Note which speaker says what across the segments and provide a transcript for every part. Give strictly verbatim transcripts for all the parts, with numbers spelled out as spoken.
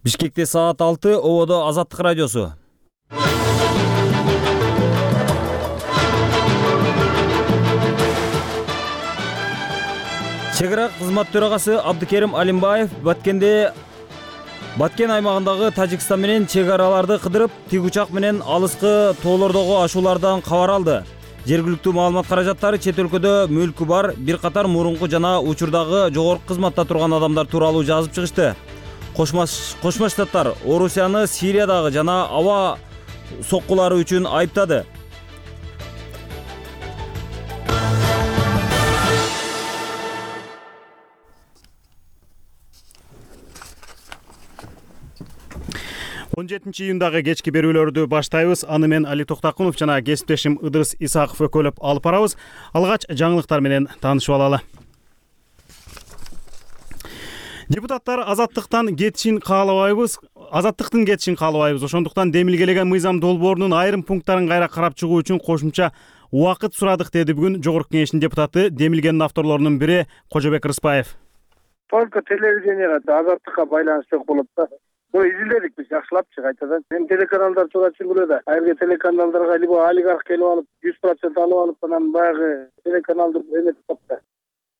Speaker 1: Бишкекте саат алты, Ободо Азаттык радиосу. Чек ара кызмат төрагасы Абдыкерим Алимбаев Баткенде Баткен аймагындагы Тажикстан менен чек араларды кыдырып, тик учак менен алыскы тоолордогу ашуулардан кабар алды. Жергиликтүү маалымат каражаттары чет өлкөдө мүлкү бар бир катар мурунку жана учурдагы жогорку кызматта турган адамдар тууралуу жазып чыгышты. Кошмо Штаттар Орусияны Сириядагы жана аба соккулары үчүн айыптады.
Speaker 2: он жетинчи июндагы кечки берүүлөрдү баштайбыз. Аны мен Али Токтакунов жана кесиптешим Ыдырыс Исаков өкөлөп алып барабыз. Алгач жаңылыктар менен таанышып алалы. Депутаттар азаттыктан кетишин каалабайбыз. Азаттыктын кетишин каалабайбыз. Ошондуктан демилгелеген мыйзам долбоорунун айрым пункттарын кайра карап чыгуу үчүн кошумча убакыт сурадык, деди бүгүн Жогорку Кеңештин депутаты, демилгенин авторлорунун бири Кожобек Рыспаев.
Speaker 3: Только телевиденияга азаттыкка байланыштуу болот да. Бул изилдедик биз жакшылапчы кайтадан. Эми телеканалдар туура түшүнгүлө да. Ар бир телеканалдарга либо олигарх келип алып, жүз процент алып алып, анан баягы телеканалды эметип калды.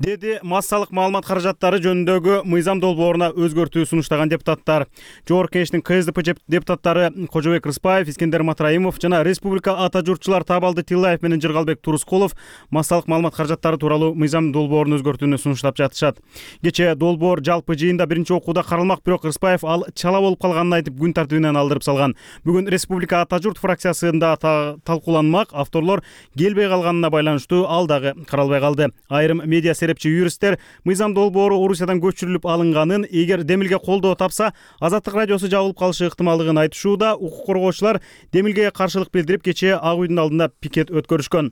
Speaker 2: Деди массалык маалымат каражаттары жөнүндөгү мыйзам долбооруна өзгөртүү сунуштаган депутаттар. Жогорку Кеңештин КСДП депутаттары Кожобек Рыспаев, Искендер Матраимов жана Республика ата журтчулар Табалды Тиллаев менен Жыргалбек Турускулов массалык маалымат каражаттары тууралуу мыйзам долбоорун өзгөртүүнү сунуштап жатышат. Кечээ долбоор жалпы жыйында биринчи окууда каралмак, бирок Рыспаев ал чала болуп калганын айтып, күн тартибинен алдырып салган. Бүгүн Республика ата журт фракциясында талкууланмак. Авторлор келбей калганына байланыштуу ал дагы каралбай калды. Айрым медиа юристтер мыйзам долбоору Орусиядан көчүрүлүп алынганын, эгер демилге колдоо тапса, Азаттык радиосу жабылып калышы ыктымалдыгын айтышууда. Укук коргоочулар демилгеге каршылык билдирип, кечээ Ак үйдүн алдында пикет өткөрүшкөн.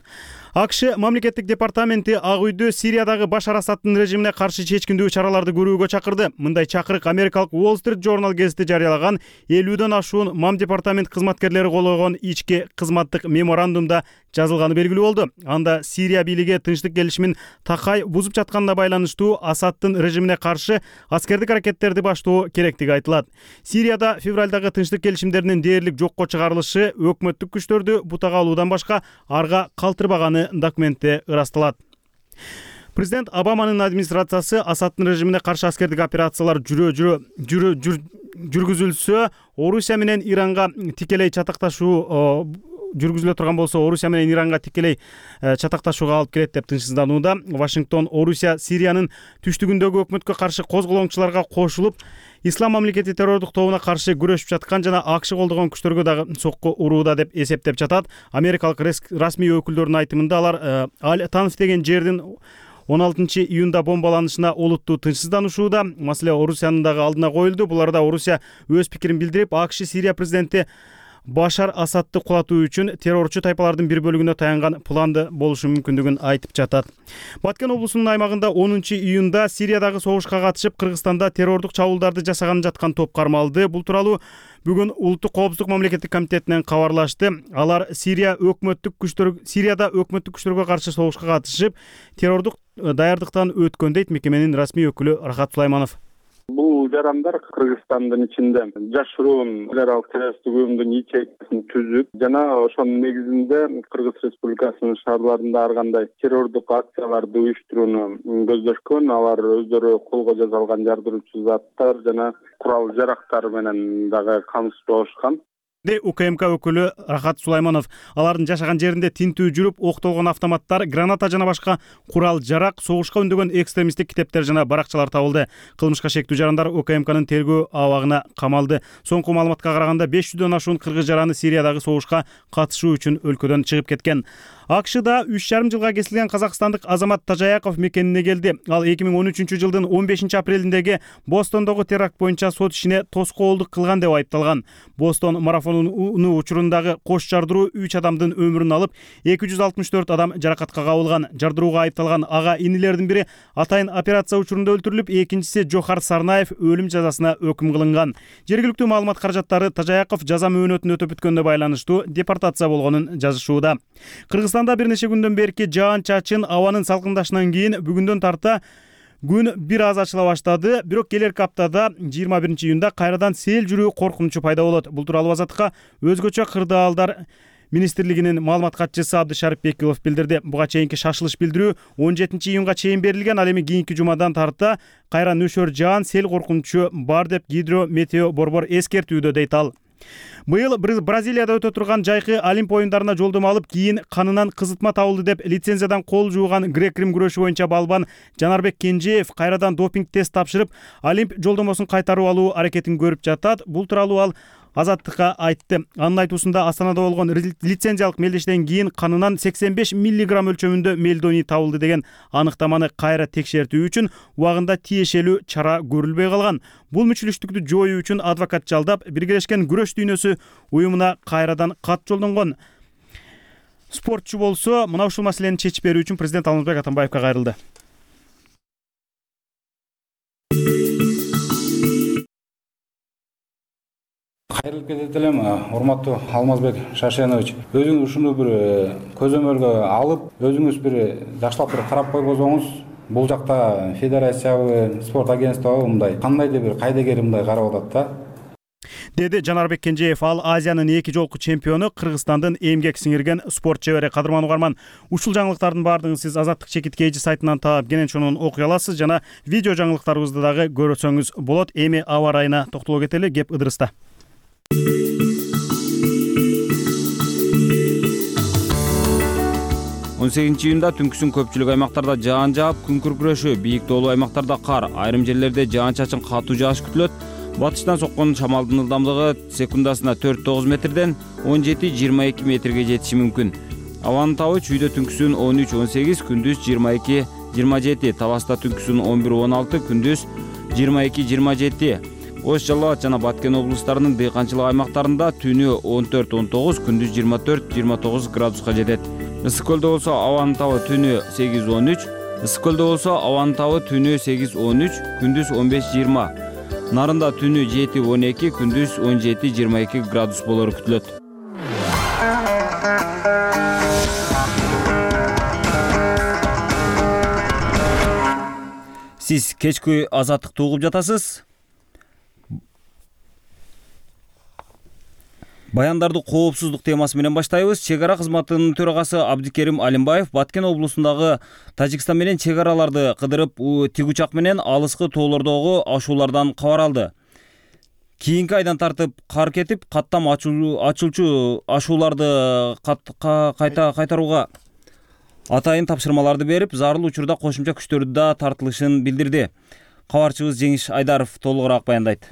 Speaker 2: АКШ мамлекеттик департаменти Ак үйдү Сириядагы Башар Асадтын режимине каршы чечкиндүү чараларды көрүүгө чакырды. Мындай чакырык Америкалык Wall Street Journal гезити жарыялаган элүүдөн ашуун мам департамент кызматкерлери кол койгон ички кызматтык меморандумда жазылганы белгилүү болду. Анда Сирия бийлиги тынчтык келишимин такай бузуп жатканына байланыштуу Асадтын режимине каршы аскердик аракеттерди баштоо керектиги айтылат. Сирияда февралдагы тынчтык келишимдеринин дээрлик жокко чыгарылышы өкмөттүк күчтөрдү бутага алуудан башка арга калтырбаганы документте ырасталат. Президент Обаманын администрациясы Асадтын режимине каршы аскердик операциялар жүрө жүрө жүрө жүргүзүлсө, Орусия менен Иранга тикелей чатакташуу жүргүзүлө турган болсо, Орусия менен Иранга тикелей чатакташууга алып келет деп тынчсызданууда. Вашингтон Орусия Сириянын түштүгүндөгү өкмөткө каршы козголоңчуларга кошулуп, Ислам мамлекети террордук тобуна каршы күрөшүп жаткан жана АКШ колдогон күчтөргө дагы сокку урууда деп эсептеп жатат. Америкалык расмий өкүлдөрдүн айтымында алар Аль-Танф деген жердин он алтынчы июнда бомбаланышына олуттуу тынчсызданышууда. Маселе Орусиянын дагы алдына коюлду. Буларда Орусия өз пикирин билдирип, АКШ Сирия президенти Башар Асадты кулатуу үчүн террорчу тайпалардын бир бөлүгүнө таянган планды болушу мүмкүндүгүн айтып жатат. Баткен облусунун аймагында онунчу июнда Сириядагы согушка катышып, Кыргызстанда террордук чабуулдарды жасаган жаткан топ кармалды. Бул тууралуу бүгүн Улуттук коопсуздук мамлекеттик комитетинен кабарлашты. Алар Сирия өкмөттүк күчтөр Сирияда өкмөттүк күчтөргө каршы согушка катышып, террордук даярдыктан өткөн дейт мекеменин расмий өкүлү Рахат Сулайманов.
Speaker 4: Бул жарандар Кыргызстандын ичинде жашыруун террорлук террористтик уюмдун ячейкасин түзүп, жана ошонун негизинде Кыргыз Республикасынын шаарларында ар кандай террордук акцияларды уюштурууну көздөшкөн. Алар өздөрү колго жаза алган жардыруучу заттар жана курал жарактар менен дагы камсыз болушкан.
Speaker 2: УКМК өкүлү Рахат Сулайманов алардын жашаган жеринде тинтүү жүрүп, октолгон автоматтар, граната жана башка курал жарак, согушка үндөгөн экстремисттик китептер жана баракчалар табылды. Кылмышка шектүү жарандар УКМКнын тергөө абагына камалды. Соңку маалыматка караганда беш жүздөн ашуун кыргыз жараны Сириядагы согушка катышуу үчүн өлкөдөн чыгып кеткен. АКШда үч жарым жылга кесилген казакстандык Азамат Тажаяков мекенине келди. Ал эки миң он үчүнчү жылдын он бешинчи апрелиндеги Бостондогу теракт боюнча сот ишине тоскоолдук кылган деп айыпталган. Бостон марафонунун учурундагы кош жардыруу үч адамдын өмүрүн алып, эки жүз алтымыш төрт адам жаракатка кабылган. Жардырууга айыпталган ага инилердин бири атайын операция учурунда өлтүрүлүп, экинчиси Жохар Сарнаев өлүм жазасына өкүм кылынган. Жергиликтүү маалымат каражаттары Тажаяков жаза мөөнөтүн өтөп бүткөнгө байланыштуу депортация болгонун жазышууда. Кыргызстанда бир нече күндөн берки жаан чачын, абанын салкындашынан кийин бүгүндөн тарта Күн бир аз ачыла баштады, бирок келерки аптада жыйырма биринчи июнда кайрадан сел жүрүү коркунучу пайда болот. Бул тууралуу Азаттыкка өзгөчө кырдаалдар министрлигинин маалымат катчысы Абдышарып Бекилов билдирди. Буга чейинки шашылыш билдирүү он жетинчи июнга чейин берилген, ал эми кийинки жумадан тарта кайра нөшөр жаан, сел коркунучу бар деп гидрометео борбор эскертүүдө, дейт ал. Быйыл Бразилияда өтө турган жайкы Олимп оюндарына жолдомо алып, кийин канынан кызытма табылды деп лицензиядан кол жууган грек-рим күрөшү боюнча балбан Жанарбек Кенжеев кайрадан допинг тест тапшырып, Олимп жолдомосун кайтарып алуу аракетин көрүп жатат. Бул тууралуу ал Азаттыкка айтты. Анын айтуусунда Астанада болгон лицензиялык мелдештен кийин канынан сексен беш миллиграмм өлчөмүндө мелдоний табылды деген аныктаманы кайра текшертүү үчүн убагында тиешелүү чара көрүлбөй калган. Бул мүчүлүштүктү жоюу үчүн адвокат жалдап, Биргелешкен күрөш дүйнөсү уюмуна кайрадан кат жолдонгон. Спортчу болсо, мына ушул маселени чечип берүү үчүн президент Алмазбек Атамбаевка кайрылды.
Speaker 5: Кайрылып кетет элем, урматтуу Алмазбек Шашенович. Өзүңүз ушуну бир көзөмөлгө алып, өзүңүз бир жакшылап бир карап койбосоңуз, бул жакта федерациябы, спорт агентствобу мындай кандайдыр бир кайдыгер мындай карап атат да.
Speaker 2: Деди Жанарбек Кенжеев. Ал Азиянын эки жолку чемпиону, Кыргызстандын эмгек сиңирген спорт чебери. Кадырман угарман, ушул жаңылыктардын баардыгын сиз Азаттык чекиткейжи сайтынан таап, кенен чонун окуй аласыз жана видео жаңылыктарыбызды дагы көрсөңүз болот. Эми аба ырайына токтоло кетели, кеп Ыдырыста.
Speaker 1: он сегизинчи июнда түнкүсүн көпчүлүк аймактарда жаан жаап, күн күркүрөшү, бийик тоолуу аймактарда кар, айрым жерлерде жаан-чачын катуу жааш күтүлөт. Батыштан соккон шамалдын ылдамдыгы секундасына төрт тогуз метрден он жети жыйырма эки метрге жетиши мүмкүн. Абанын табы чүйдө түнкүсүн он үч он сегиз, күндүз жыйырма эки жыйырма жети, Таласта түнкүсүн он бир он алты, күндүз жыйырма эки жыйырма жети. Ош, Жалал абад жана Баткен облустарынын дыйканчылык аймактарында түнү он төрт он тогуз, күндүз жыйырма төрт жыйырма тогуз градуска жетет. Ысык көлдө болсо абанын табы түнү сегиз он үч, ысык көлдө болсо абанын табы түнү сегиз он үч, күндүз он беш жыйырма. Нарында түнү жети он эки, күндүз он жети жыйырма эки градус болору күтүлөт. Сиз кечки Азаттыкты угуп жатасыз. Баяндарды коопсуздук темасы менен баштайбыз. Чек ара кызматынын төрагасы Абдыкерим Алимбаев Баткен облусундагы Тажикстан менен чек араларды кыдырып, тик учак менен алыскы тоолордогу ашуулардан кабар алды. Кийинки айдан тартып кар кетип, каттам ачылчу ашууларды кайта кайтарууга атайын тапшырмаларды берип, зарыл учурда кошумча күчтөрдү да тартылышын билдирди. Кабарчыбыз Жеңиш Айдаров толугураак баяндайт.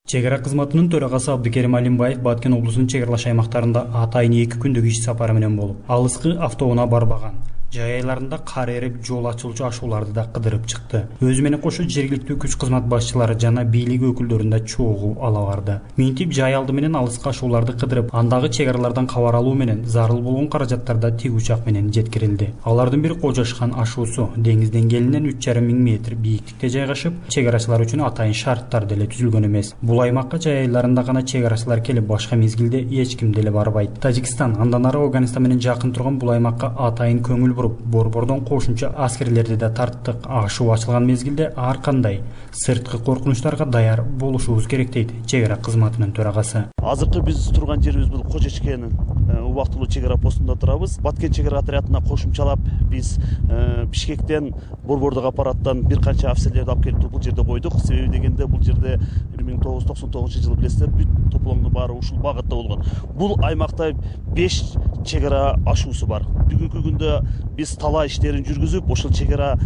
Speaker 6: Чек ара кызматынын төрагасы Абдыкерим Алимбаев Баткен облусунун чек аралаш аймактарында атайын эки күндүк иш сапары менен болуп, алыскы автоунаа барбаган. Жай айларында кар эрип, жол ачылчу ашууларды да кыдырып чыкты. Өзү менен кошо жергиликтүү күч кызмат башчылары жана бийлик өкүлдөрүн да чогуу ала барды. Минтип жай алды менен алыскы ашууларды кыдырып, андагы чек аралардан кабар алуу менен зарыл болгон каражаттарда тик учак менен жеткирилди. Алардын бири Кожошхан ашуусу деңиз деңгээлинен үч жарым миң метр бийиктикте жайгашып, чек арачылар үчүн атайын шарттар деле түзүлгөн эмес. Бул аймакка жай айларында гана чек арачылар келип, башка мезгилде эч ким деле барбайт. Тажикстан, андан ары Афганистан менен жакын турган бул аймакка атайын көңүл борбордон кошумча аскерлерди да тарттык. Ашуу ачылган мезгилде ар кандай сырткы коркунучтарга даяр болушубуз керек, дейт чек ара кызматынын төрагасы.
Speaker 7: Азыркы биз турган жерибиз бул Кожечкенин убактылуу чек ара постунда турабыз. Баткен чек ара отрядына кошумчалап биз Бишкектен, борбордук аппараттан бир канча офицерлерди алып келип бул жерде койдук. Себеби дегенде бул жерде бир миң тогуз жүз токсон тогузунчу жылы билесиздер, бүт топломдун баары ушул багытта болгон. Бул аймакта беш чек ара ашуусу бар. Бүгүнкү күндө биз талаа иштерин жүргүзүп, ошол чек ара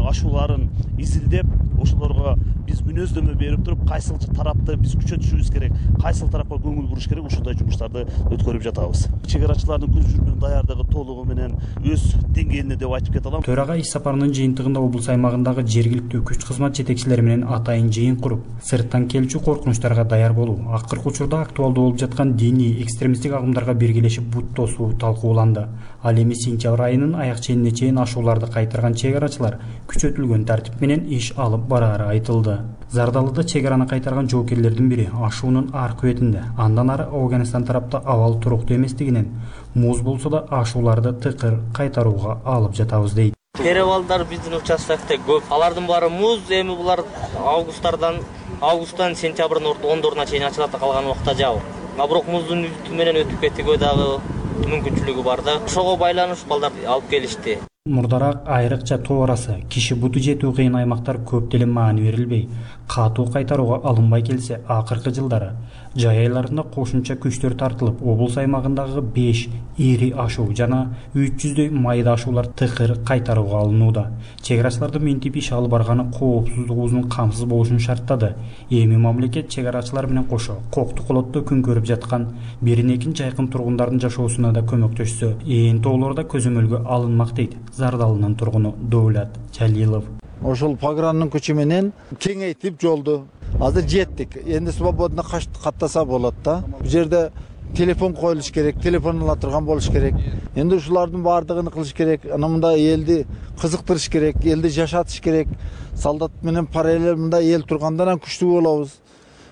Speaker 7: ашууларын изилдеп, ошолорго биз мүнөздөмө берип туруп, кайсыл тарапты биз күчөтүшүбүз керек, кайсыл тарапка көңүл буруш керек, ушундай жумуштарды өткөрүп жатабыз. Чек арачылардын көз жүрмөн даярдыгы толугу менен өз деңгээлинде деп айтып кете алам.
Speaker 6: Төрага иш сапарынын жыйынтыгында облус аймагындагы жергиликтүү күч кызмат жетекчилери менен атайын жыйын куруп, сырттан келчү коркунучтарга даяр болуу, акыркы учурда актуалдуу болуп жаткан диний экстремисттик агымдарга биргелешип бут тосуу талкууланды. Ал эми сентябрь айынын аяк ченине чейин ашууларды кайтарган чек арачылар күчөтүлгөн тартип менен иш алып бараары айтылды. Зардалыда чек араны кайтарган жоокерлердин бири ашуунун аркы бетинде, андан ары Афганистан тарапта абал туруктуу эместигинен муз болсо да ашууларды тыкыр кайтарууга алып жатабыз, дейт.
Speaker 8: Перевалдар биздин участокте көп. Алардын баары муз, эми булар августтардан августтан сентябрдын ондоруна чейин ачылат, калган убакта жабык. А бирок муздун үстү менен өтүп кетүүгө дагы мүмкүнчүлүгү бар да. Ошого байланышып балдар алып келишти.
Speaker 6: Мурдараак айрыкча тоо арасы киши буту жетүү кыйын аймактар көп деле маани берилбей, катуу кайтарууга алынбай келсе, акыркы жылдары жай айларында кошумча күчтөр тартылып, облус аймагындагы беш ири ашуу жана үч жүздөй майда ашуулар тыкыр кайтарууга алынууда. Чек арачылардын мынтип иш алып барганы коопсуздугубуздун камсыз болушун шарттады. Эми мамлекет чек арачылар менен кошо кокту колотто күн көрүп жаткан бирин экин жайкын тургундардын жашоосуна да көмөктөшсө, ээн тоолорда көзөмөлгө алынмак дейт Зардалынын тургуну Дöwlet Жалилов.
Speaker 9: Ошол программанын күчү менен кеңейтип жолду азыр жеттик. Энди свободно каттаса болот да. Бу жерде телефон коюлуш керек, телефон ала турган болуш керек. Энди ушулардын баардыгын кылыш керек. Ана мында элди кызыктырыш керек, элди жашатыш керек. Солдат менен параллель мында эл тургандан күчтүү болобуз.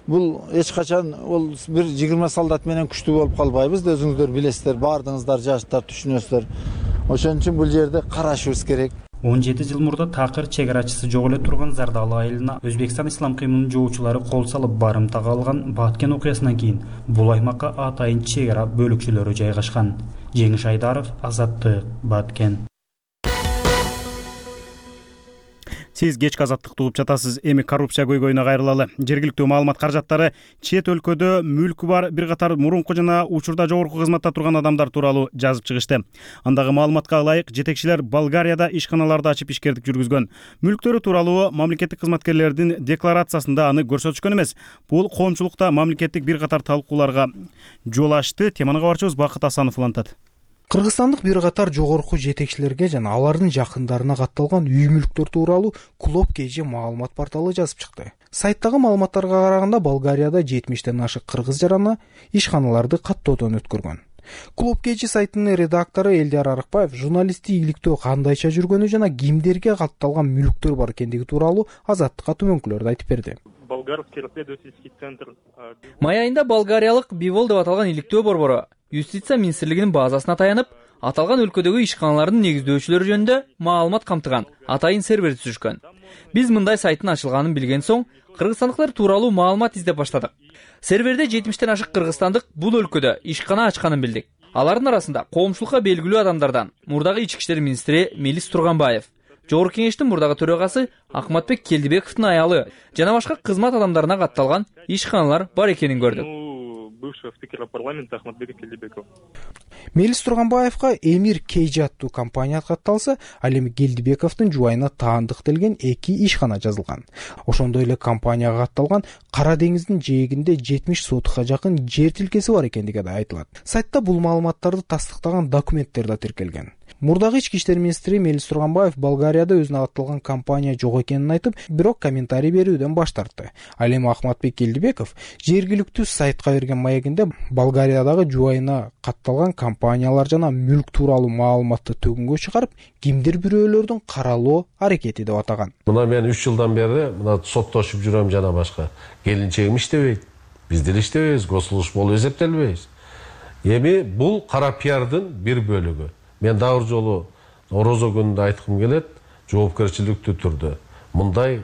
Speaker 9: Бул эч качан ол бир жыйырма солдат менен күчтүү болуп калбайбыз да, өзүңүздөр билесиздер, баардыгыңыздар жаштар түшүнөсүздөр. Ошон үчүн бул жерде карашыбыз керек.
Speaker 6: он жети жыл мурда такыр чек арачысы жок эле турган Зардалы айылына Өзбекстан ислам кыймылынын жоочулары кол салып барымтага алган Баткен окуясынан кийин бул аймакка атайын чек ара бөлүкчөлөрү жайгашкан. Жеңиш Айдаров, Азаттык, Баткен.
Speaker 2: Сиз кечки азаттыкты угуп жатасыз. Эми коррупция көйгөйүнө кайрылалы. Жергиликтүү маалымат каражаттары чет өлкөдө мүлкү бар бир катар мурунку жана учурда жогорку кызматта турган адамдар тууралуу жазып чыгышты. Андагы маалыматка ылайык, жетекчилер Болгарияда ишканаларды ачып ишкердик жүргүзгөн. Мүлктөрү тууралуу мамлекеттик кызматкерлердин декларациясында аны көрсөтүшкөн эмес. Бул коомчулукта мамлекеттик бир катар талкууларга жол ачты. Теманы кабарчыбыз Бакыт Асанов улантат.
Speaker 10: Кыргызстандык бир катар жогорку жетекчилерге жана алардын жакындарына катталган үй мүлктөр тууралуу Клоп Кж маалымат порталы жазып чыкты. Сайттагы маалыматтарга караганда Болгарияда жетимиштен ашык кыргыз жараны ишканаларды каттоодон өткөргөн. Клоп Кж сайтынын редактору Элдияр Арыкбаев журналисттик ийгиликтөө кандайча жүргөнү жана кимдерге катталган мүлктөр бар экендиги тууралуу Азаттыкка түмөнкүлөрдү айтып берди.
Speaker 11: Май айында болгариялык Бивол деп аталган иликтөө борбору Юстиция министрлигинин базасына таянып, аталган өлкөдөгү ишканалардын негиздөөчүлөрү жөнүндө маалымат камтыган атайын сервер түзүшкөн. Биз мындай сайттын ачылганын билген соң, кыргызстандыктар тууралуу маалымат издеп баштадык. Серверде жетимиштен ашык кыргызстандык бул өлкөдө ишкана ачканын билдик. Алардын арасында коомчулукка белгилүү адамдардан мурдагы ички иштер министри Мелис Турганбаев, Жогорку кеңештин мурдагы төрагасы Акматбек Келдибековдун аялы жана башка кызмат адамдарына катталган ишканалар бар экенин көрдүк.
Speaker 12: Бывшего спикера парламента Ахматбека Келдибекова.
Speaker 10: Мелис Турганбаевка Эмир Кейджи аттуу компания катталса, ал эми Келдибековдун жубайына таандык делген эки ишкана жазылган. Ошондой эле компанияга катталган Кара деңиздин жээгинде жетимиш сотукка жакын жер тилкеси бар экендиги да айтылат. Сайтта бул маалыматтарды тастыктаган документтер да тиркелген. Мурдагы ички иштер министри Мелис Турганбаев Болгарияда өзүнө катталган компания жок экенин айтып, бирок комментарий берүүдөн баш тартты. Ал эми Ахматбек Келдибеков жергиликтүү сайтка берген маегинде Болгариядагы жубайына катталган компаниялар жана мүлк тууралуу маалыматты төгүнгө чыгарып, кимдир бирөөлөрдүн каралоо аракети деп атаган.
Speaker 13: Мына мен үч жылдан бери мына соттошуп жүрөм жана башка. Келинчегим иштебейт. Биз деле иштебейбиз, госслужб болуп эсептелбейбиз. Эми бул кара пиардын бир бөлүгү. Мен дагы бир жолу орозо күнүндө айткым келет, жоопкерчиликтүү түрдө. Мындай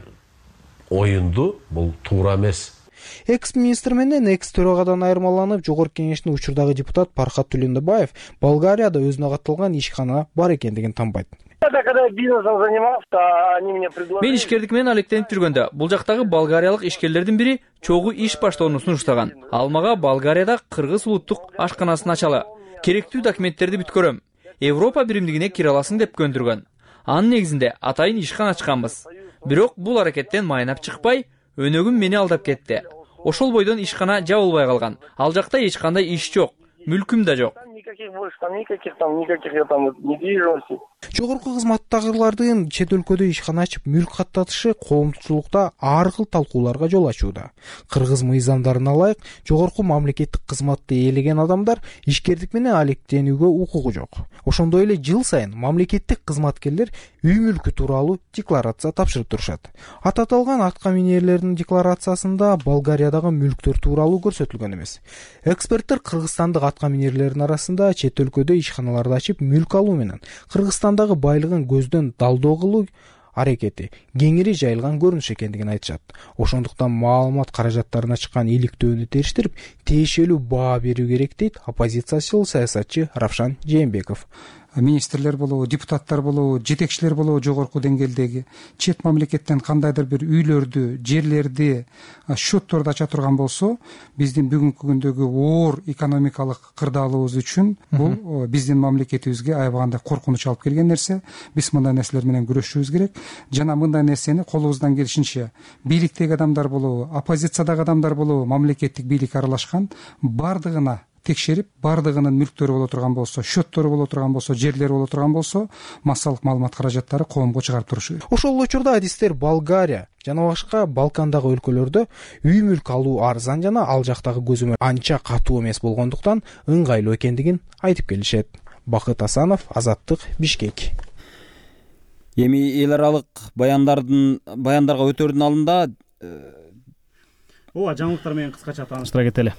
Speaker 13: оюнду бул туура эмес.
Speaker 10: Экс-министр менен экс-төрагадан айырмаланып, Жогорку кеңештин учурдагы депутат Пархат Түлөндөбаев Болгарияда өзүнө катталган ишкана бар экендигин танбайт.
Speaker 11: Мен ишкердик менен алектенип жүргөндө, бул жактагы болгариялык ишкерлердин бири чогуу иш баштоону сунуштаган. Ал мага Болгарияда кыргыз улуттук ашканасын ачалы, керектүү документтерди бүткөрөм, Европа биримдигине кире аласың деп көндүргөн. Анын негизинде атайын ишкана ачканбыз. Бирок бул аракеттен майнап чыкпай, өнөгүм мени алдап кетти. Ошол бойдон ишкана жабылбай калган. Ал жакта эч кандай иш жок, мүлкүм да жок.
Speaker 10: Жогорку кызматтагылардын чет өлкөдө ишкана ачып мүлк каттатышы коомчулукта ар кыл талкууларга жол ачууда. Кыргыз мыйзамдарына ылайык, жогорку мамлекеттик кызматты ээлеген адамдар ишкердик менен алектенүүгө укугу жок. Ошондой эле жыл сайын мамлекеттик кызматкерлер үй мүлкү тууралуу декларация тапшырып турушат. Аты аталган атка минерлердин декларациясында Болгариядагы мүлктөр тууралуу көрсөтүлгөн эмес. Эксперттер кыргызстандык атка минерлердин арасында аймагында чет өлкөдө ишканаларды ачып мүлк алуу менен Кыргызстандагы байлыгын көздөн далдоо кылуу аракети кеңири жайылган көрүнүш экендигин айтышат. Ошондуктан маалымат каражаттарына чыккан иликтөөнү териштирип, тиешелүү баа берүү керек дейт оппозициячыл саясатчы Равшан Жээнбеков.
Speaker 14: Министрлер болобу, депутаттар болобу, жетекчилер болобу жогорку деңгээлдеги чет мамлекеттен кандайдыр бир үйлөрдү, жерлерди, счетторду ача турган болсо, биздин бүгүнкү күндөгү оор экономикалык кырдаалыбыз үчүн бул биздин мамлекетибизге аябагандай коркунуч алып келген нерсе. Биз мындай нерселер менен күрөшүшүбүз керек жана мындай нерсени колубуздан келишинче бийликтеги адамдар болобу, оппозициядагы адамдар болобу, мамлекеттик бийлик аралашкан бардыгына текшерип, бардыгынын мүлктөрү боло турган болсо, счеттору боло турган болсо, жерлери боло турган болсо, массалык маалымат каражаттары коомго чыгарып турушу керек.
Speaker 10: Ошол учурда адистер Болгария жана башка Балкандагы өлкөлөрдө үй мүлк алуу арзан жана ал жактагы көзөмөл анча катуу эмес болгондуктан ыңгайлуу экендигин айтып келишет. Бакыт Асанов, Азаттык, Бишкек.
Speaker 1: Эми эл аралык баяндардын баяндарга өтөрдүн алдында
Speaker 2: ооба жаңылыктар менен кыскача тааныштыра кетели.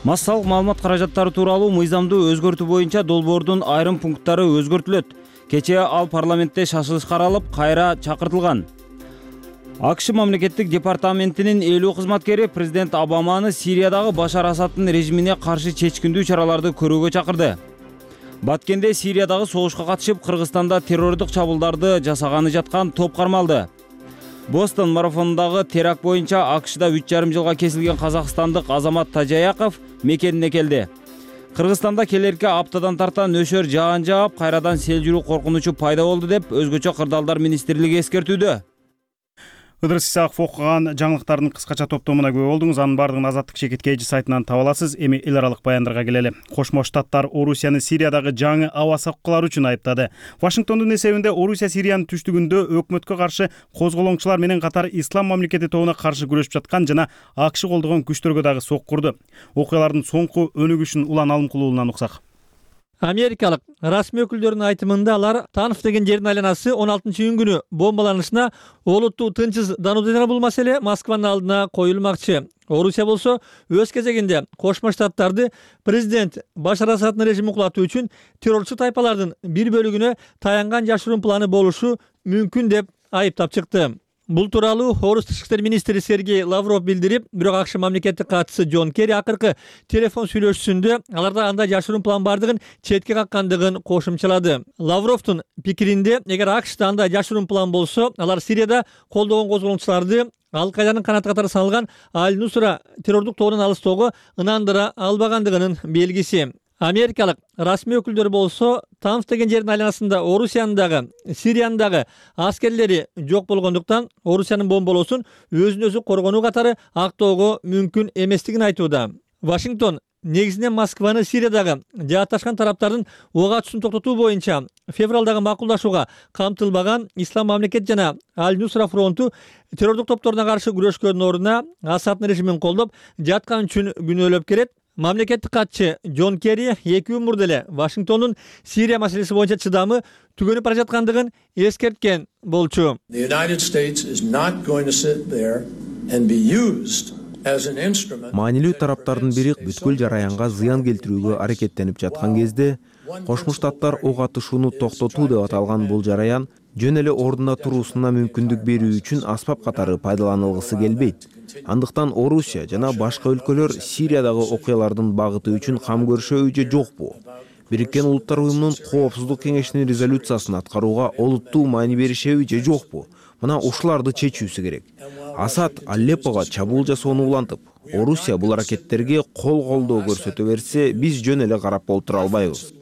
Speaker 1: Массалык маалымат каражаттары тууралуу мыйзамды өзгөртүү боюнча долбоордун айрым пункттары өзгөртүлөт. Кечээ ал парламентте шашылыш каралып, кайра чакыртылган. АКШ мамлекеттик департаментинин элүү кызматкери президент Обаманы Сириядагы Башар Асаддын режимине каршы чечкиндүү чараларды көрүүгө чакырды. Баткенде Сириядагы согушка катышып, Кыргызстанда террордук чабуулдарды жасаганы жаткан топ кармалды. Бостон марафонундагы теракт боюнча АКШда үч жарым жылга кесилген казакстандык Азамат Тажаяков мекенине келди. Кыргызстанда келерки аптадан тарта нөшөр жаан жаап, кайрадан сел жүрүү коркунучу пайда болду деп өзгөчө кырдаалдар министрлиги эскертүүдө.
Speaker 2: Ыдырыс Исаков окуган жаңылыктардын кыскача топтомуна күбө болдуңуз. Анын бардыгын Азаттык Шекет Кейжи сайтынан таба аласыз. Эми эл аралык баяндарга келели. Кошмо Штаттар Орусияны Сириядагы жаңы аба соккулары үчүн айыптады. Вашингтондун эсебинде Орусия Сириянын түштүгүндө өкмөткө каршы козголоңчулар менен катар ислам мамлекети тобуна каршы күрөшүп жаткан жана АКШ колдогон күчтөргө дагы соккурду. Окуялардын соңку өнүгүшүн Улан Алымкулуулунан уксак.
Speaker 15: Америкалык расмий өкүлдөрүнүн айтымында алар Танф деген жердин айланасы он алтынчы июнь күнү бомбаланышына олуттуу тынчсызданууда жана бул маселе Москванын алдына коюлмакчы. Орусия болсо өз кезегинде Кошмо Штаттарды президент Башар Асаддын режимин кулатуу үчүн террорчу тайпалардын бир бөлүгүнө таянган жашыруун планы болушу мүмкүн деп айыптап чыкты. Бул тууралуу Орус тышкы иштер министри Сергей Лавров билдирип, бирок АКШ мамлекеттик катчысы Джон Керри акыркы телефон сүйлөшүүсүндө аларда андай жашыруун план бардыгын четке каккандыгын кошумчалады. Лавровдун пикиринде, эгер АКШда андай жашыруун план болсо, алар Сирияда колдогон козголоңчуларды Ал-Кайданын канаты катары саналган Аль-Нусра террордук тобунан алыстоого ынандыра албагандыгынын белгиси. Америкалык расмий өкүлдөр болсо Танф деген жердин айланасында Орусиянын дагы, Сириянын дагы аскерлери жок болгондуктан Орусиянын бомболоосун өзүн өзү коргонуу катары актоого мүмкүн эместигин айтууда. Вашингтон негизинен Москваны Сириядагы жаатташкан тараптардын ок атуусун токтотуу боюнча февралдагы макулдашууга камтылбаган Ислам мамлекет жана Аль-Нусра фронту террордук топторуна каршы күрөшкөндүн ордуна Асаддын режимин колдоп жаткан үчүн күнөөлөп келет. Мамлекеттик катчы Джон Керри эки күн мурда эле Вашингтондун Сирия маселеси боюнча чыдамы түгөнүп бара жаткандыгын эскерткен болчу.
Speaker 16: Маанилүү тараптардын бири бүткүл жараянга зыян келтирүүгө аракеттенип жаткан кезде Кошмо Штаттар ок атышууну токтотуу деп аталган бул жараян жөн эле ордуна туруусуна мүмкүндүк берүү үчүн аспап катары пайдаланылгысы келбейт. Андыктан Орусия жана башка өлкөлөр Сириядагы окуялардын багыты үчүн кам көрүшөбү же жокпу? Бириккен Улуттар уюмунун Коопсуздук кеңешинин резолюциясын аткарууга олуттуу маани беришеби же жокпу? Мына ушуларды чечүүсү керек. Асад Алеппого чабуул жасоону улантып, Орусия бул аракеттерге кол колдоо көрсөтө берсе, биз жөн эле карап олтура албайбыз.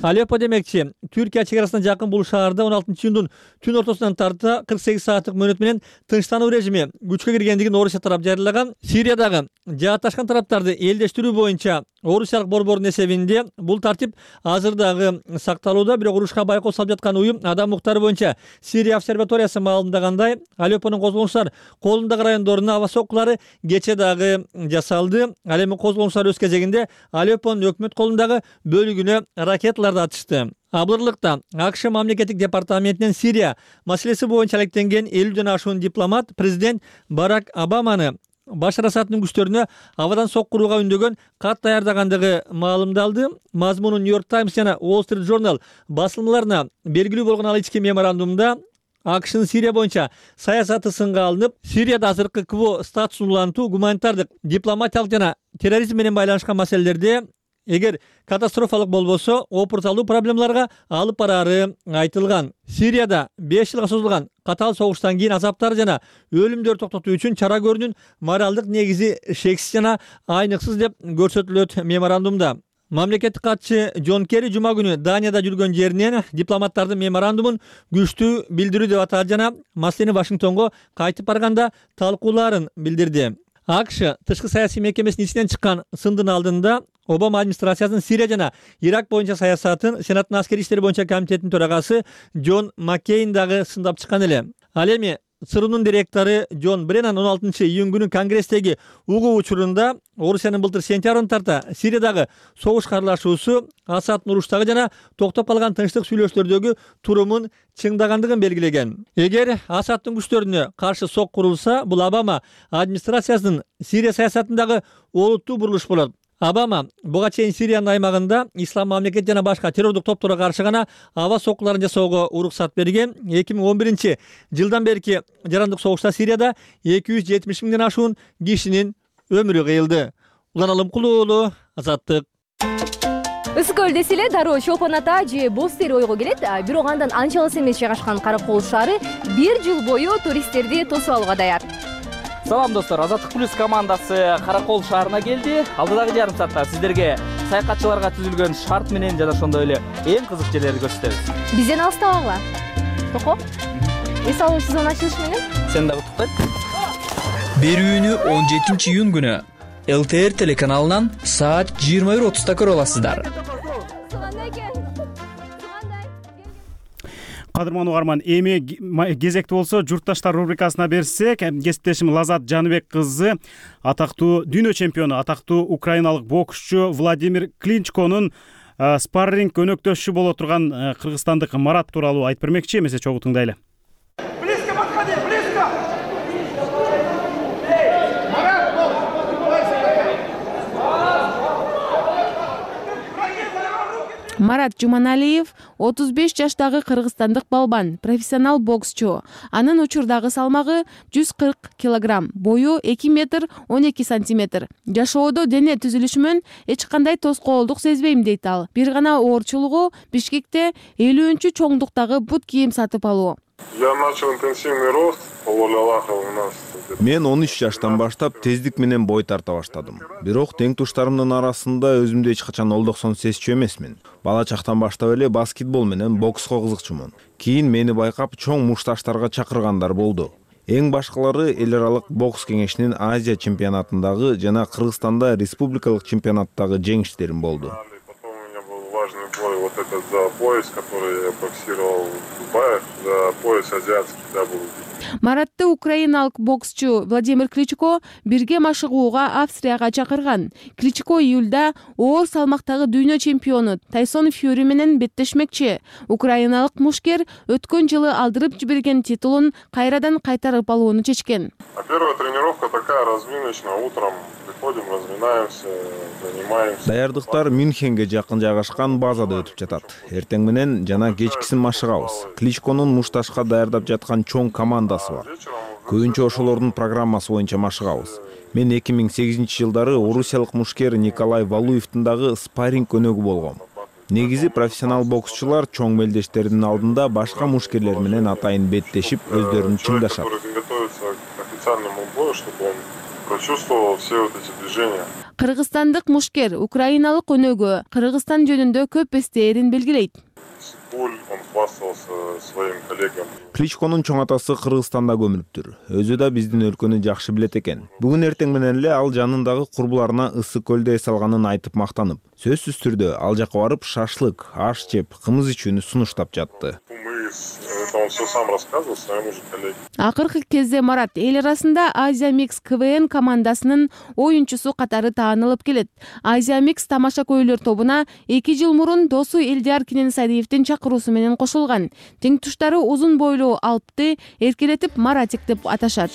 Speaker 15: Алеппо демекчи, Түркия чегарасына жакын бул шаарда он алтынчы июндун түн ортосунан тарта кырк сегиз сааттык мөөнөт менен тынчтануу режими күчкө киргендигин Орусия тарап жарыялаган. Сириядагы жаатташкан тараптарды элдештирүү боюнча Орусиялык борбордун эсебинде бул тартип азыр дагы сакталууда, бирок урушка байкоо салып жаткан уюм Адам укуктары боюнча Сирия обсерваториясы маалымдагандай, Алеппонун козголоңчулар колундагы райондоруна аба соккулары кече дагы жасалды. Ал эми козголоңчулар өз кезегинде Алеппонун өкмөт колундагы бөлүгүнө ракеталарды атышты. Абдырлыкта АКШ мамлекеттик департаментинен Сирия маселеси боюнча алектенген элүүдөн ашуун дипломат президент Барак Обаманы Башар Асаддын күчтөрүнө абадан соккурууга үндөгөн кат даярдагандыгы маалымдалды. Мазмуну Нью-Йорк Таймс жана Wall Street Journal басылмаларына белгилүү болгон ал ички меморандумда АКШнын Сирия боюнча саясаты сынга алынып, Сирияда азыркы КВО статусун улантуу, гуманитардык, дипломатиялык жана терроризм менен байланышкан маселелерде эгер катастрофалык болбосо опурталуу проблемаларга алып бараары айтылган. Сирияда беш жылга созулган катаал согуштан кийин азаптар жана өлүмдөрдү токтотуу үчүн чара көрүүнүн моралдык негизи шексиз жана айныксыз деп көрсөтүлөт меморандумда. Мамлекеттик катчы Джон Керри жума күнү Данияда жүргөн жеринен дипломаттардын меморандумун күчтүү билдирүү деп атады жана маселени Вашингтонго кайтып барганда талкуулаарын билдирди. АКШ тышкы саясий мекемесинин ичинен чыккан сындын алдында Обама администрациясынын Сирия жана Ирак боюнча саясатын Сенаттын аскерий иштери боюнча комитетинин төрагасы Джон Маккейн дагы сындап чыккан эле. Ал эми ЦРУнун директору Джон Бреннан он алтынчы июнь күнү Конгресстеги угуу учурунда Орусиянын былтыр сентябрын тарта Сириядагы согуш карлашуусу Асаддын уруштагы жана токтоп калган тынчтык сүйлөшүүлөрдөгү турумун чыңдагандыгын белгилеген. Эгер Асаддын күчтөрүнө каршы сок курулса, бул Обама администрациясынын Сирия саясатындагы олуттуу бурулуш болот. Обама буга чейин Сириянын аймагында ислам мамлекет жана башка террордук топторго каршы гана аба соккуларын жасоого уруксат берген. эки миң он биринчи жылдан берки жарандык согушта Сирияда эки жүз жетимиш миңден ашуун кишинин өмүрү кыйылды. Улан Алымкул уулу, Азаттык.
Speaker 17: Ысык көл десе эле дароо Чолпон ата же Боз Тери ойго келет. Бирок андан анча алыс эмес жайгашкан Каракол шаары бир жыл бою туристтерди тосуп алууга даяр.
Speaker 11: Салам достор, Азаттык плюс командасы Каракол шаарына келди. Алдыдагы жарым саатта сиздерге саякатчыларга түзүлгөн шарт менен жана ошондой эле эң кызык жерлерди көрсөтөбүз.
Speaker 17: Бизден алыстабагыла. Токо. Эс алуу сезон ачылышы менен.
Speaker 11: Сен дагы туктайт. Берүүнү он жетинчи июнь күнү эл тэ эр телеканалынан саат жыйырма бир отузда көрө аласыздар.
Speaker 2: Кадырман угарман, эми кезекти болсо журтташтар рубрикасына берсек, кесиптешим Лазат Жаныбек кызы атактуу дүйнө чемпиону, атактуу украиналык боксчу Владимир Кличконун спарринг өнөктөшү боло турган кыргызстандык Марат тууралуу айтып бермекчи, эмесе чогуу тыңдайлы.
Speaker 18: Близко подходи, близко!
Speaker 19: Марат Жуманалиев отуз беш жаштагы кыргызстандык балбан, профессионал боксчу. Анын учурдагы салмагы жүз кырк килограмм, бою эки метр он эки сантиметр. Жашоодо дене түзүлүшүмөн эч кандай тоскоолдук сезбейм дейт ал. Бир гана оорчулугу Бишкекте элүүнчү чоңдуктагы бут кийим сатып алуу.
Speaker 20: Я начал интенсивный рост, по воле Аллаха у нас.
Speaker 16: Мен он үч жаштан баштап тездик менен бой тарта баштадым. Бирок тең туштарымдын арасында өзүмдү эч качан олдоксон сезчү эмесмин. Бала чактан баштап эле баскетбол менен бокско кызыкчумун. Кийин мени байкап чоң мушташтарга чакыргандар болду. Эң башкалары эл аралык бокс кеңешинин Азия чемпионатындагы жана Кыргызстанда республикалык чемпионаттагы жеңиштерим болду.
Speaker 20: Важный бой, вот этот за пояс, который я боксировал в Дубае, за пояс азиатский дабл ю би.
Speaker 19: Маратты украиналык боксчу Владимир Кличко бирге машыгууга Австрияга чакырган. Кличко июлда оор салмактагы дүйнө чемпиону Тайсон Фьюри менен беттешмекчи. Украиналык мушкер өткөн жылы алдырып жиберген титулун кайрадан кайтарып алууну чечкен.
Speaker 20: Первая тренировка такая разминочная, утром приходим, разминаемся, занимаемся.
Speaker 16: Даярдыктар Мюнхенге жакын жайгашкан базада өтүп жатат. Эртең менен жана кечкисин машыгабыз. Кличконун мушташка даярдап жаткан чоң командасы бар. Көбүнчө ошолордун программасы боюнча машыгабыз. Мен эки миң сегизинчи жылдары орусиялык мушкер Николай Валуевдин дагы спарринг өнөгү болгом. Негизи профессионал боксчулар чоң мелдештердин алдында башка мушкерлер менен атайын беттешип өздөрүн чыңдашат.
Speaker 20: Прочувствовал все вот эти движения.
Speaker 19: Кыргызстандык мушкер украиналык өнөгө Кыргызстан жөнүндө көп эстээрин белгилейт.
Speaker 20: Он хвастался своим коллегам.
Speaker 16: Кличконун чоң атасы Кыргызстанда көмүлүптүр. Өзү да биздин өлкөнү жакшы билет экен. Бүгүн эртең менен эле ал жанындагы курбуларына ысык көлдө эс алганын айтып мактанып, сөзсүз түрдө ал жака барып шашлык, аш жеп, кымыз ичүүнү сунуштап жатты.
Speaker 20: Мы с это он все сам рассказывал своему же коллеге.
Speaker 19: Акыркы кезде Марат эл арасында Азия Микс КВН командасынын оюнчусу катары таанылып келет. Азия Микс тамаша көйлөр тобуна эки жыл мурун досу Элдияр Кененсариевдин чакыруусу менен кошулган. Тең туштары узун бойлуу Алпты эркелетип Маратик деп аташат.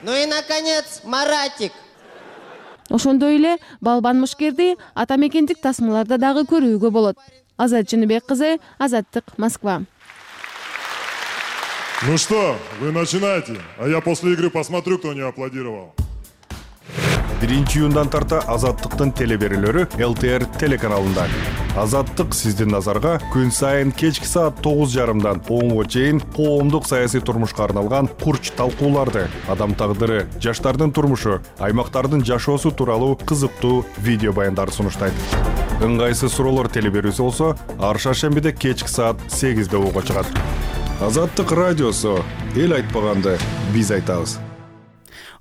Speaker 21: Ну и наконец, Маратик.
Speaker 19: Ошондой эле балбан мушкерди ата мекендик тасмаларда дагы көрүүгө болот. Азат Жыныбек кызы, Азаттык, Москва.
Speaker 20: Ну что, вы начинайте, а я после игры посмотрю, кто не аплодировал.
Speaker 22: биринчи июндан тарта Азаттыктын телеберүүлөрү эл тэ эр телеканалында. Азаттык сиздин назарга күн сайын кечки саат тогуз жарымдан онго чейин коомдук саясий турмушка арналган курч талкууларды, адам тагдыры, жаштардын турмушу, аймактардын жашоосу тууралуу кызыктуу видео баяндарды сунуштайт. Ыңгайсыз суроолор телеберүүсү болсо, ар шаршембиде кечки саат сегизде угууга чыгат. Азаттык радиосу, эл айтпаганды биз айтабыз.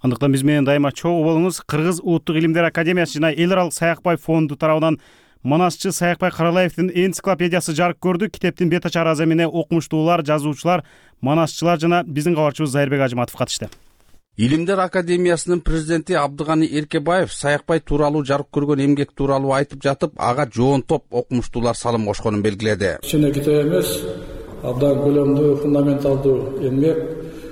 Speaker 2: Андыктан биз менен дайыма чогуу болуңуз. Кыргыз Улуттук илимдер академиясы жана эл аралык Саякбай фонду тарабынан Манасчы Саякбай Каралаевдин энциклопедиясы жарык көрдү. Китептин бет ачар азы эмне окумуштуулар, жазуучулар, манасчылар жана биздин кабарчыбыз Зайырбек Ажыматов катышты.
Speaker 23: Илимдер академиясынын президенти Абдыганы Эркебаев Саякбай тууралуу жарык көргөн эмгек тууралуу айтып жатып, ага жоон топ окумуштуулар салым кошконун белгиледи.
Speaker 24: Кичине китеп эмес, абдан көлөмдүү, фундаменталдуу эмгек,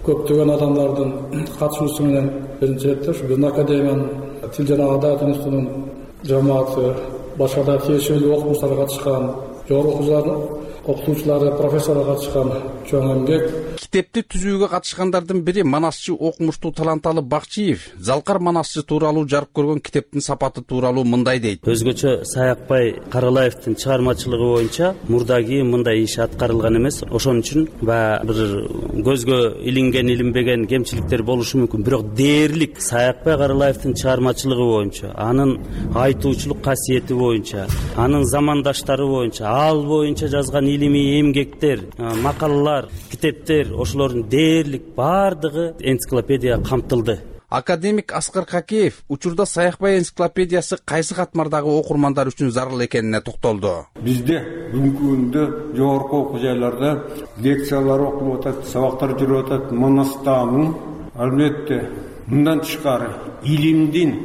Speaker 24: көптөгөн адамдардын катышуусу менен биринчи ирет биздин академиянын тил жана адабият институтунун жамааты, башка да тиешелүү окумуштар катышкан, жогорку окутуучулары, профессорлор катышкан чоң эмгек.
Speaker 23: Китепти түзүүгө катышкандардын бири манасчы окумуштуу Таланталы Бакчиев Залкар манасчы тууралуу жарык көргөн китептин сапаты тууралуу мындай дейт.
Speaker 25: Өзгөчө Саякбай Каралаевдин чыгармачылыгы боюнча мурдаги мындай иш аткарылган эмес. Ошон үчүн баягы бир көзгө илинген, илинбеген кемчиликтер болушу мүмкүн. Бирок дээрлик Саякбай Каралаевдин чыгармачылыгы боюнча, анын айтуучулук касиети боюнча, анын замандаштары боюнча, ал боюнча жазган илимий эмгектер, макалалар, китептер, ошолордун дээрлик бардыгы энциклопедия камтылды.
Speaker 23: Академик Аскар Какеев учурда Саякбай энциклопедиясы кайсы катмардагы окурмандар үчүн зарыл экенине токтолду.
Speaker 26: Бизде бүгүнкү күндө жогорку окуу жайларда лекциялар окулуп атат, сабактар жүрүп атат. Манастамын албетте мындан тышкары илимдин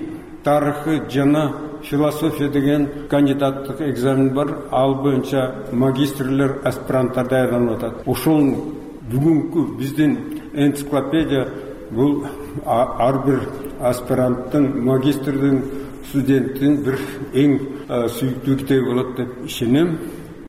Speaker 26: тарыхы жана философия деген кандидаттык экзамен бар. Ал боюнча магистрлер, аспиранттар даярданып атат. Ошол бүгүнкү биздин энциклопедия бул ар бир аспиранттын, магистрдин, студенттин бир эң сүйүктүү китеби болот деп ишенем.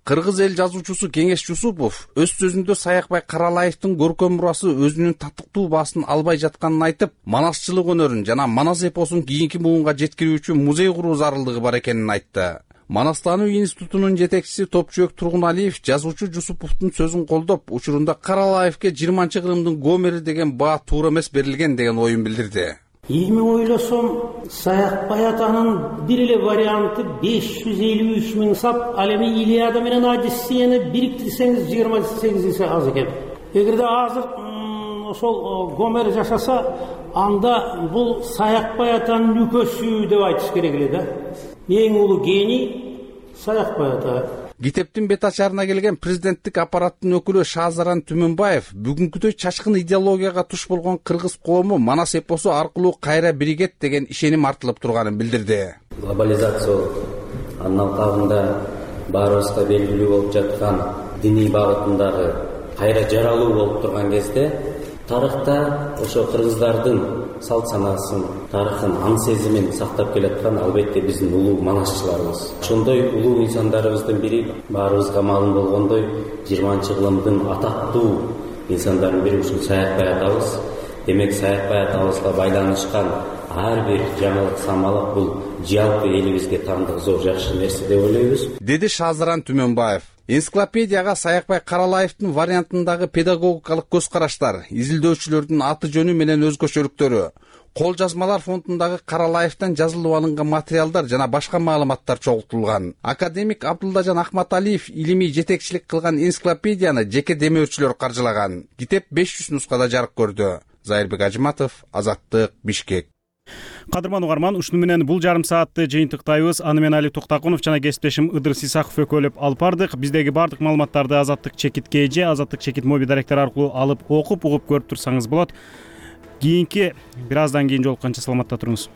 Speaker 23: Кыргыз эл жазуучусу Кеңеш Жусупов өз сөзүндө Саякбай Каралаевдин көркөм мурасы өзүнүн татыктуу баасын албай жатканын айтып, манасчылык өнөрүн жана манас эпосун кийинки муунга жеткирүүчү музей куруу зарылдыгы бар экенин айтты. Манастануу институтунун жетекчиси Топчуек Тургуналиев жазуучу Жусуповдун сөзүн колдоп, учурунда Каралаевке жыйырманчы кылымдын Гомери деген баа туура эмес берилген деген оюн билдирди.
Speaker 27: Эми ойлосом, Саякбай атанын бир эле варианты беш жүз элүү үч миң сап, ал эми Илиада менен Одиссеяны бириктирсеңиз жыйырма сегиз эсе аз экен. Эгерде азыр ошол Гомер жашаса, анда бул Саякбай атанын нүкөсү деп айтыш керек эле да. Эң улуу гений Саякбай ата.
Speaker 23: Китептин бет ачарына келген президенттик аппараттын өкүлү Шазаран Түмөнбаев бүгүнкүдөй чачкын идеологияга туш болгон кыргыз коому манас эпосу аркылуу кайра биригет деген ишеним артылып турганын билдирди.
Speaker 28: Глобализация анын алкагында баарыбызга белгилүү болуп жаткан диний багытындагы кайра жаралуу болуп турган кезде тарыхта ошо кыргыздардын салт санаасын, тарыхын, аң сезимин сактап келаткан албетте биздин улуу манасчыларыбыз. Ошондой улуу инсандарыбыздын бири баарыбызга маалым болгондой жыйырманчы кылымдын атактуу инсандардын бири ушул Саякбай атабыз. Демек Саякбай атабызга байланышкан ар бир жаңылык самалык бул жалпы элибизге таандык зор жакшы нерсе деп ойлойбуз,
Speaker 23: деди Шазаран Түмөнбаев. Энциклопедияга Саякбай Каралаевдин вариантындагы педагогикалык көз караштар, изилдөөчүлөрдүн аты жөнү менен өзгөчөлүктөрү, кол жазмалар фондундагы Каралаевден жазылып алынган материалдар жана башка маалыматтар чогултулган. Академик Абдуллажан Ахматалиев илимий жетекчилик кылган энциклопедияны жеке демөөрчүлөр каржылаган. Китеп беш жүз нускада жарык көрдү. Зайырбек Ажыматов, Азаттык, Бишкек.
Speaker 2: Кадырман угарман, ушуну менен бул жарым саатты жыйынтыктайбыз. Аны мен Али Токтакунов жана кесиптешим Ыдырыс Исаков экөөлөп алып бардык. Биздеги баардык маалыматтарды Азаттык чекит кж, Азаттык чекит моби даректор аркылуу алып окуп, угуп көрүп турсаңыз болот. Кийинки бир аздан кийин жолукканча саламатта туруңуз.